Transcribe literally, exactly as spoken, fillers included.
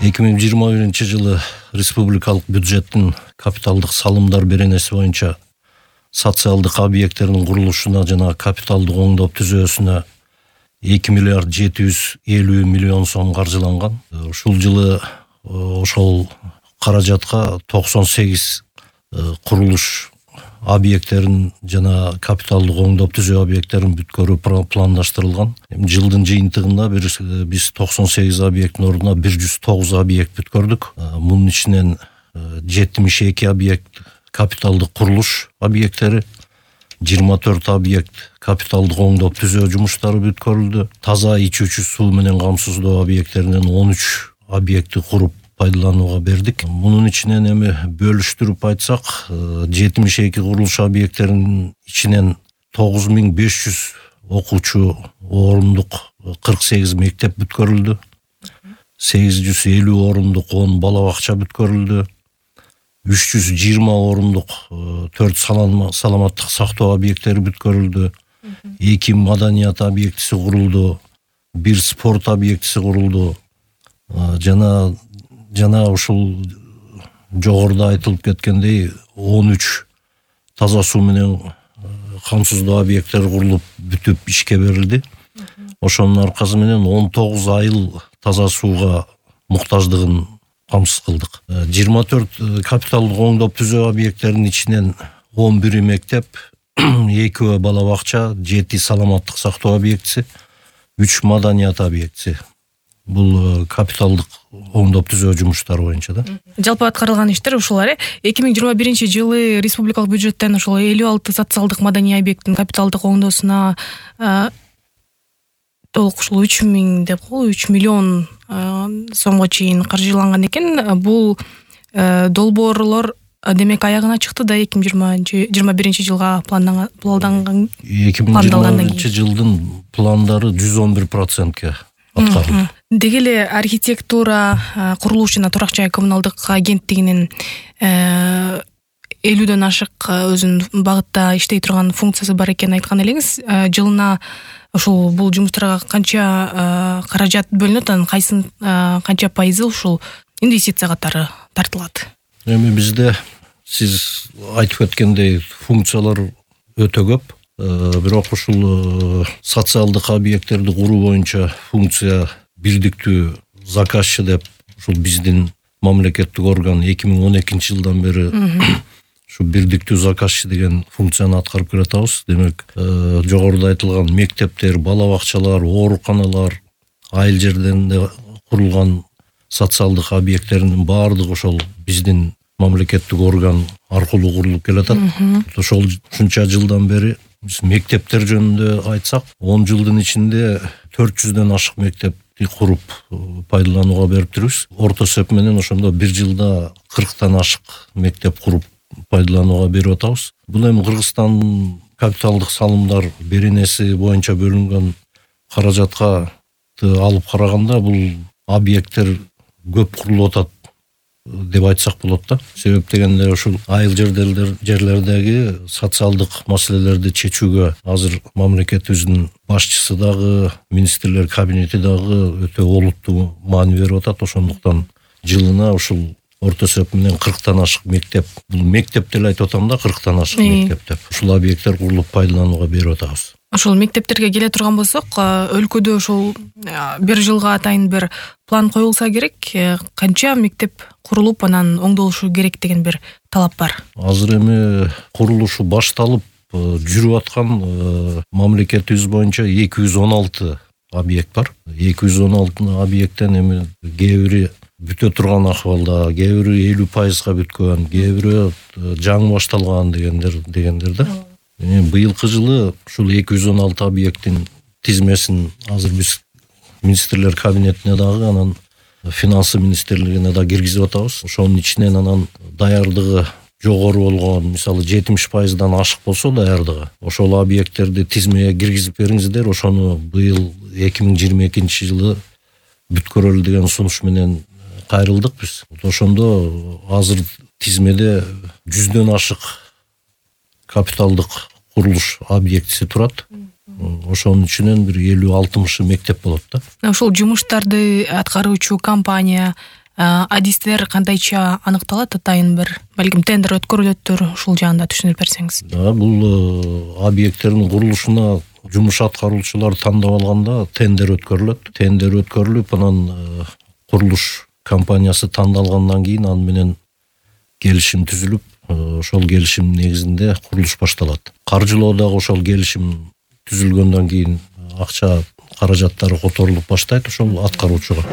эки миң жыйырма биринчи жылы республикалык бюджеттин капиталдык салымдар беренеси боюнча социалдык объекттердин курулушуна жана капиталдык оңдоп түзүүсүнө эки миллиард жети жүз элүү миллион сом каржыланган. Ушул жылы ошол каражатка токсон сегиз курулуш объекттерин жана капиталдык оңдоп түзөө объекттерин бүткөрүү пландаштырылган. Жылдын жыйынтыгында биз токсон сегиз объекттин ордуна бир жүз тогуз объект бүткөрдүк. Мунун ичинен жетимиш эки объект капиталдык курулуш объекттери, жыйырма төрт объект капиталдык оңдоп түзөө жумуштары бүткөрүлдү. Таза ичүүчү суу менен камсыздоо объекттеринен он үч объектти куруп пайдаланууга бердик. Мунун ичинен эми бөлүштүрүп айтсак, жетимиш эки курулуш объекттеринин ичинен тогуз миң беш жүз окуучу орундук кырк сегиз мектеп бүткөрүлдү. сегиз жүз элүү орундук он бала бакча бүткөрүлдү. үч жүз жыйырма орундук төрт саламаттык сактоо объекттери бүткөрүлдү. эки маданият объектиси курулду. бир спорт объектиси курулду. Жана жана ушул жогоруда айтылып кеткендей он үч таза суу менен камсыздоо объекттери курулуп бүтүп ишке берилди. Ошонун аркасы менен он тогуз айыл таза сууга муктаждыгын камсыз кылдык. жыйырма төрт капиталдык оңдоп түзөө объекттеринин ичинен он бир мектеп, экөө бала бакча, жети саламаттык сактоо объектиси, үч маданият объектиси. Бул капиталдык оңдоп түзөө жумуштары боюнча да. Жалпы аткарылган иштер ушулар э. эки миң жыйырма биринчи жылы республикалык бюджеттен ошол элүү алты социалдык маданий объекттин капиталдык оңдоосуна толук ушул үч миң деп кой, үч миллион сомго чейин каржыланган экен. Бул долбоорлор демек аягына чыкты да эки миң жыйырма биринчи жылга планданган. эки миң жыйырма биринчи жылдын пландары жүз он бир процентке аткарылды. Деги эле архитектура, курулуш жана турак жай коммуналдык агенттигинин элүүдөн ашык өзүнүн багытта иштей турган функциясы бар экенин айткан элеңиз. Жылына ушул бул жумуштарга канча каражат бөлүнөт, анын кайсын канча пайызы ушул инвестиция катары тартылат? Эми бизде сиз айтып кеткендей функциялар өтө көп. Бирок ушул социалдык объекттерди куруу боюнча функция бирдиктүү заказчы деп ушул биздин мамлекеттик орган эки миң он экинчи жылдан бери ушу бирдиктүү заказчы деген функцияны аткарып келатабыз. Демек, жогоруда айтылган мектептер, бала бакчалар, ооруканалар, айыл жерлеринде курулган социалдык объекттердин баардыгы ошол биздин мамлекеттик орган аркылуу курулуп келатат. Ошол ушунча жылдан бери биз мектептер жөнүндө айтсак, он жылдын ичинде төрт жүздөн ашык мектепти куруп пайдаланууга берип жүрүбүз. Орто эсеп менен ошондо бир жылда кырктан ашык мектеп куруп пайдаланууга берип атабыз. Бул эми Кыргызстандын капиталдык салымдар беренеси боюнча бөлүнгөн каражатка алып караганда бул объекттер көп курулуп атат деп айтсак болот да. Себеп дегенде ушул айыл жерлердеги социалдык маселелерди чечүүгө азыр мамлекетибиздин башчысы дагы, министрлер кабинети дагы өтө олуттуу маани берип атат. Ошондуктан жылына ушул орто эсеп менен кырктан ашык мектеп, бул мектеп деле айтып атам да, кырктан ашык мектеп деп. Ушул объекттер курулуп пайдаланууга берип атабыз. Ошол мектептерге келе турган болсок, өлкөдө ошол бир жылга атайын бир план коюлса керек, канча мектеп курулуп анан оңдолушу керек деген бир талап бар. Азыр эми курулушу башталып жүрүп аткан мамлекетибиз боюнча эки жүз он алты объект бар. эки жүз он алты объекттен эми кээ бири бүтө турган акыбалда, кээ бири элүү пайызга бүткөн, кээ бири жаңы башталган дегендер дегендер да. Быйылкы жылы ушул эки жүз он алты объекттин тизмесин азыр биз министрлер кабинетине дагы, анан финансы министрлигине да киргизип атабыз. Ошонун ичинен анан даярдыгы жогору болгон, мисалы жетимиш пайыздан ашык болсо даярдыгы, ошол объекттерди тизмеге киргизип бериңиздер, ошону быйыл эки миң жыйырма экинчи жылы бүткөрөлү деген сунуш менен кайрылдык биз. Ошондо азыр тизмеде жүздөн ашык капиталдык курулуш объектиси турат. Ошонун ичинен бир элүү алтымышы мектеп болот да. Ошол жумуштарды аткаруучу компания адистер кандайча аныкталат? Атайын бир балким тендер өткөрүлөттүр, ушул жаанда түшүнүп берсеңиз. Да, бул объекттердин курулушуна жумуш аткаруучулар тандап алганда тендер өткөрүлөт. Тендер өткөрүлүп, анан курулуш компаниясы тандалгандан кийин аны менен келишим түзүлүп, ошол келишим негизинде курулуш башталат. Каржылоо дагы ошол келишим түзүлгөндөн кийин акча каражаттары которулуп баштайт ошол аткаруучуга.